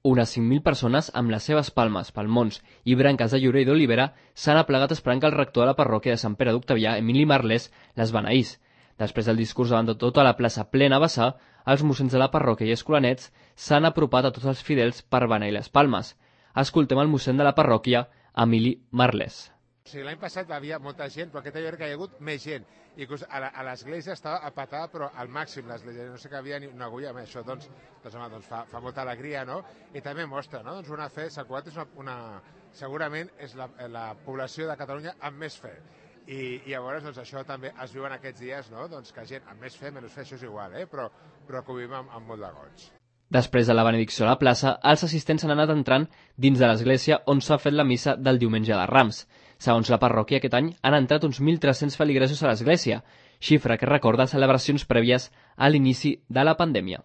Unes 5.000 persones amb les seves palmes, palmons i branques de llorer i d'olivera s'han aplegat esperant que el rector de la parròquia de Sant Pere d'Octavià, Emili Marlès, les beneís. Després del discurs davant de tota la plaça plena a vessar, els mossens de la parròquia i escolanets s'han apropat a tots els fidels per beneir les palmes. Escoltem el mossèn de la parròquia, Emili Marlès. L'any passat hi havia molta gent, però aquest any que hi ha hagut més gent. Inclús a l'església estava apatada, però al màxim l'església. No sé que havia ni una agulla, amb això doncs fa molta alegria, no? I també mostra, no? Doncs una fe, Sant Cugat segurament és la població de Catalunya amb més fe. I llavors doncs, això també es viu en aquests dies, no? Doncs que gent amb més fe, menys fe, això és igual, però que ho vivim amb molt de goig. Després de la benedicció a la plaça, els assistents han anat entrant dins de l'església on s'ha fet la missa del diumenge de Rams. Segons la parròquia, aquest any han entrat uns 1.300 feligresos a l'església, xifra que recorda celebracions prèvies a l'inici de la pandèmia.